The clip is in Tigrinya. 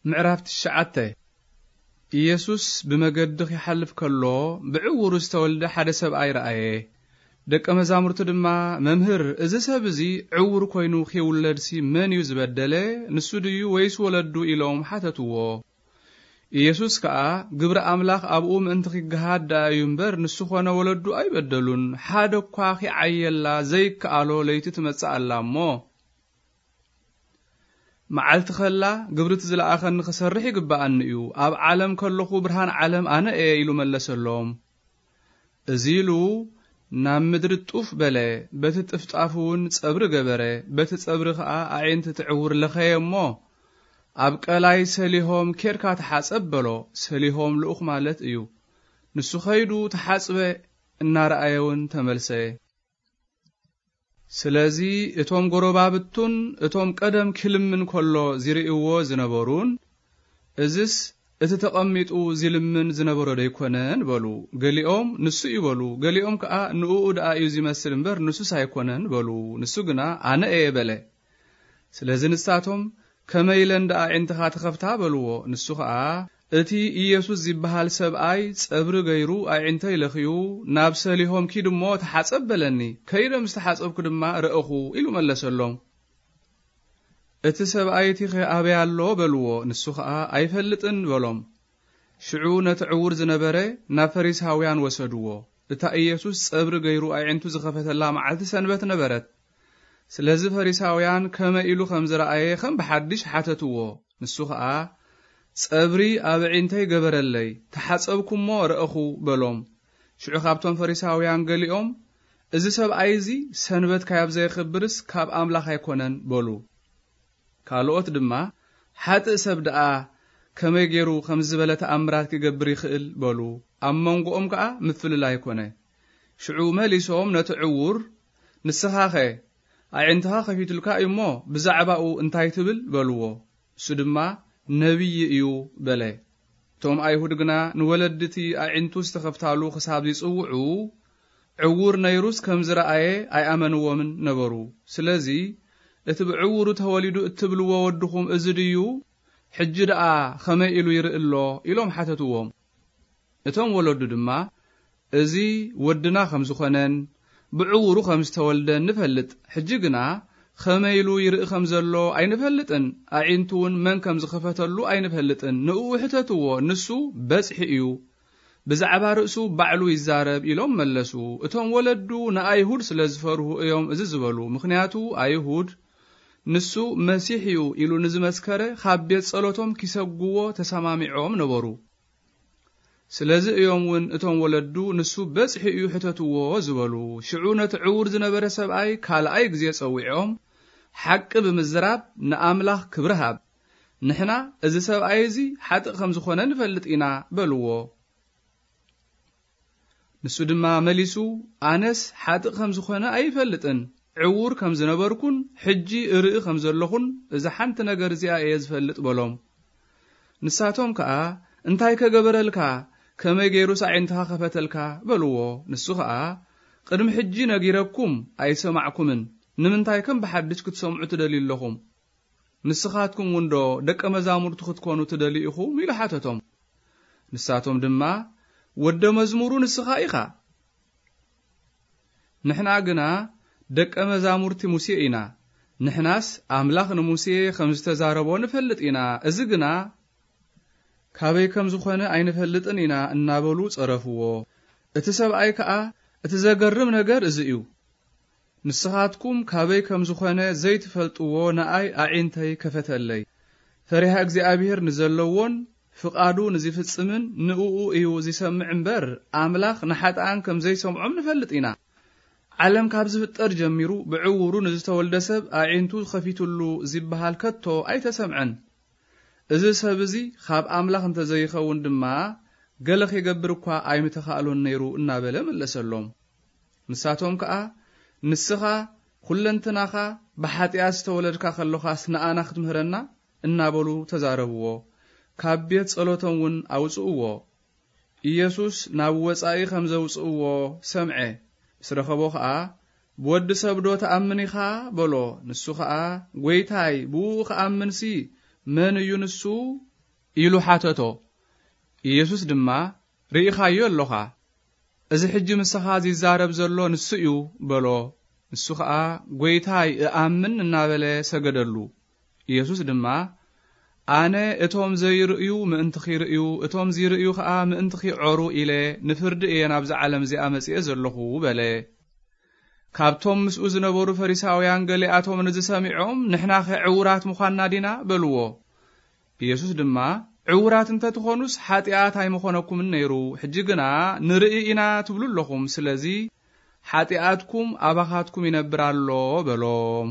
ምዕራፍ ትሽዓተ። ኢየሱስ ብመገዲ ኺሓልፍ ከሎ፣ ብዕውሩ ዝተወልደ ሓደ ሰብኣይ ረኣየ። ደቀ መዛሙርቱ ድማ፣ "መምህር፣ እዚ ሰብ እዚ ዕውር ኮይኑ ኺውለድሲ መን እዩ ዝበደለ? ንሱ ድዩ ወይስ ወለዱ?" ኢሎም ሓተትዎ። ኢየሱስ ከኣ፣ "ግብሪ ኣምላኽ ኣብኡ ምእንቲ ኺገሃድ ደኣ እዩ እምበር፣ ንሱ ኾነ ወለዱ ኣይበደሉን። ሓደ እኳ ኺዓየላ ዘይከኣሎ ለይቲ ትመጽእ ኣላ እሞ፣ መዓልቲ ኸላ ግብሪ እቲ ዝለኣኸኒ ኽሰርሕ ይግብኣኒ እዩ። ኣብ ዓለም ከለኹ ብርሃን ዓለም ኣነ እየ" ኢሉ መለሰሎም። እዚ ኢሉ ናብ ምድሪ ጡፍ በለ። በቲ ጥፍጣፍ እውን ጸብሪ ገበረ። በቲ ጸብሪ ኸኣ ኣዒንቲ እቲ ዕውር ለኸየ እሞ፣ "ኣብ ቀላይ ሰሊሆም ኬድካ ተሓጸብ" በሎ። ሰሊሆም ልኡኽ ማለት እዩ። ንሱ ኸይዱ ተሓጽበ፣ እናረኣየ እውን ተመልሰ። ስለዚ እቶም ጎረባብቱን እቶም ቀደም ኪልምን ከሎ ዚርእይዎ ዝነበሩን፣ "እዝስ እቲ ተቐሚጡ ዚልምን ዝነበሮ ደይኮነን?" በሉ። ገሊኦም፣ "ንሱ እዩ" በሉ። ገሊኦም ከኣ፣ "ንእኡ ደኣ እዩ ዚመስል እምበር፣ ንሱስ ኣይኮነን" በሉ። ንሱ ግና፣ "ኣነ እየ" በለ። ስለዚ ንሳቶም፣ "ከመይ ኢለን ደኣ ኣዒንትኻ ተኸፍታ?" በልዎ። ንሱ ኸኣ፣ "እቲ ኢየሱስ ዚበሃል ሰብኣይ ጸብሪ ገይሩ ኣዒንተይ ለኽዩ፣ 'ናብ ሰሊሆም ኪድ እሞ ተሓጸብ' በለኒ። ከይደ ምስ ተሓጸብኩ ድማ ረእኹ" ኢሉ መለሰሎም። "እቲ ሰብኣይ እቲኸ ኣበይ ኣሎ?" በልዎ። ንሱ ኸኣ፣ "ኣይፈልጥን" በሎም። ሽዑ ነቲ ዕዉር ዝነበረ ናብ ፈሪሳውያን ወሰድዎ። እታ ኢየሱስ ጸብሪ ገይሩ ኣዒንቱ ዝኸፈተላ መዓልቲ ሰንበት ነበረት። ስለዚ ፈሪሳውያን ከመይ ኢሉ ኸም ዝረኣየ ኸም ብሓድሽ ሓተትዎ። ንሱ ኸኣ፣ "ጸብሪ ኣብ ኣዒንተይ ገበረለይ፣ ተሓጸብኩ እሞ ረእኹ" በሎም። ሽዑ ካብቶም ፈሪሳውያን ገሊኦም፣ "እዚ ሰብኣይ እዚ ሰንበት ካያብ ዘየኽብርስ ካብ ኣምላኽ ኣይኮነን" በሉ። ካልኦት ድማ፣ "ሓጥእ ሰብ ደኣ ከመይ ገይሩ ኸምዚ ዝበለ ተኣምራት ኪገብር ይኽእል?" በሉ። ኣብ መንጎኦም ከኣ ምፍልላይ ኮነ። ሽዑ መሊሶም ነቲ ዕዉር፣ "ንስኻኸ ኣዒንትኻ ኸፊቱልካ እዩ እሞ ብዛዕባኡ እንታይ ትብል?" በልዎ። እሱ ድማ፣ "ነቢይ እዩ" በለ። እቶም ኣይሁድ ግና ንወለዲ እቲ ኣዒንቱ ዝተኸፍታሉ ክሳብ ዚጽውዑ፣ ዕዉር ነይሩስ ከም ዝረኣየ ኣይኣመንዎምን ነበሩ። ስለዚ፣ "እቲ ብዕዉሩ ተወሊዱ እትብልዎ ወድኹም እዚ ድዩ? ሕጂ ደኣ ኸመይ ኢሉ ይርኢ ኣሎ?" ኢሎም ሓተትዎም። እቶም ወለዱ ድማ፣ "እዚ ወድና ከም ዝኾነን ብዕዉሩ ከም ዝተወልደን ንፈልጥ። ሕጂ ግና ኸመይ ኢሉ ይርኢ ከም ዘሎ ኣይንፈልጥን፣ ኣዒንቱ እውን መን ከም ዝኸፈተሉ ኣይንፈልጥን። ንእኡ ሕተትዎ፣ ንሱ በጽሒ እዩ። ብዛዕባ ርእሱ ባዕሉ ይዛረብ" ኢሎም መለሱ። እቶም ወለዱ ንኣይሁድ ስለ ዝፈርሁ እዮም እዚ ዝበሉ። ምኽንያቱ ኣይሁድ፣ "ንሱ መሲሕ እዩ" ኢሉ ንዝመስከረ ኻብ ቤት ጸሎቶም ኪሰጉዎ ተሰማሚዖም ነበሩ። ስለዚ እዮም እውን እቶም ወለዱ፣ "ንሱ በጽሒ እዩ፣ ሕተትዎ" ዝበሉ። ሽዑ ነቲ ዕዉር ዝነበረ ሰብኣይ ካልኣይ ግዜ ጸዊዖም፣ ሓቂ ብምዝራብ ንኣምላኽ ክብሪ ሃብ። "ንሕና እዚ ሰብኣይ እዚ ሓጥእ ከም ዝኾነ ንፈልጥ ኢና" በልዎ። ንሱ ድማ መሊሱ፣ "ኣነስ ሓጥእ ከም ዝኾነ ኣይፈልጥን፣ ዕዉር ከም ዝነበርኩን ሕጂ እርኢ ከም ዘለኹን እዛ ሓንቲ ነገር እዚኣ እየ ዝፈልጥ" በሎም። ንሳቶም ከኣ፣ "እንታይ ከገበረልካ? ከመይ ገይሩስ ኣዒንትኻ ከፈተልካ?" በልዎ። ንሱ ኸኣ፣ "ቅድሚ ሕጂ ነጊረኩም ኣይሰማዕኩምን፣ ንምንታይ ከም ብሓድሽ ክትሰምዑ ትደልዩ ኣለኹም? ንስኻትኩም እውን ዶ ደቀ መዛሙርቱ ክትኮኑ ትደልዩ ኢኹም?" ኢሉ ሓተቶም። ንሳቶም ድማ፣ "ወደ መዝሙሩ ንስኻ ኢኻ፣ ንሕና ግና ደቀ መዛሙርቲ ሙሴ ኢና። ንሕናስ ኣምላኽ ንሙሴ ከም ዝተዛረቦ ንፈልጥ ኢና። እዚ ግና ካበይ ከም ዝኾነ ኣይንፈልጥን ኢና" እናበሉ ጸረፍዎ። እቲ ሰብኣይ ከኣ፣ "እቲ ዘገርም ነገር እዚ እዩ። ንስኻትኩም ካበይ ከም ዝኾነ ዘይትፈልጥዎ ንኣይ ኣዒንተይ ከፈተለይ። ፈሪሃ እግዚኣብሔር ንዘለዎን ፍቓዱ ንዝፍጽምን ንእኡ እዩ ዝሰምዕ እምበር፣ ኣምላኽ ንሓጥኣን ከም ዘይሰምዖም ንፈልጥ ኢና። ዓለም ካብ ዝፍጠር ጀሚሩ ብዕውሩ ንዝተወልደ ሰብ ኣዒንቱ ኸፊቱሉ ዝበሃል ከቶ ኣይተሰምዐን። እዚ ሰብ እዚ ኻብ ኣምላኽ እንተ ዘይኸውን ድማ፣ ገለ ኺገብር እኳ ኣይምተኻእሎን ነይሩ" እናበለ መለሰሎም። ንሳቶም ከኣ፣ "ንስኻ ኹለንትናኻ ብሓጢኣት ዝተወለድካ ኸሎኻስ ንኣና ክትምህረና?" እናበሉ ተዛረብዎ። ካብ ቤት ጸሎቶም እውን ኣውጽእዎ። ኢየሱስ ናብ ወጻኢ ኸም ዘውጽእዎ ሰምዐ። ምስ ረኸቦ ኸኣ፣ "ብወዲ ሰብዶ ትኣምን ኢኻ?" በሎ። ንሱ ኸኣ፣ "ጐይታይ፣ ብእኡ ኽኣምንሲ መን እዩ ንሱ?" ኢሉ ሓተቶ። ኢየሱስ ድማ፣ "ርኢኻዮ ኣሎኻ፣ እዚ ሕጂ ምሳኻ ዚዛረብ ዘሎ ንሱ እዩ" በሎ። ንሱ ኸኣ፣ "ጐይታይ፣ እኣምን" እናበለ ሰገደሉ። ኢየሱስ ድማ፣ "ኣነ እቶም ዘይርእዩ ምእንቲ ኺርእዩ፣ እቶም ዚርእዩ ኸኣ ምእንቲ ኺዖሩ ኢለ ንፍርዲ እየ ናብዛ ዓለም እዚኣ መጺኤ ዘለኹ" በለ። ካብቶም ምስኡ ዝነበሩ ፈሪሳውያን ገሊኣቶም ነዚ ሰሚዖም፣ "ንሕናኸ ዕዉራት ምዃንና ዲና?" በልዎ። ኢየሱስ ድማ፣ "ዕዉራት እንተ ትኾኑስ፣ ሓጢኣት ኣይምኾነኩምን ነይሩ። ሕጂ ግና ንርኢ ኢና ትብሉ ኣለኹም። ስለዚ፣ ሓጢኣትኩም ኣባኻትኩም ይነብር ኣሎ" በሎም።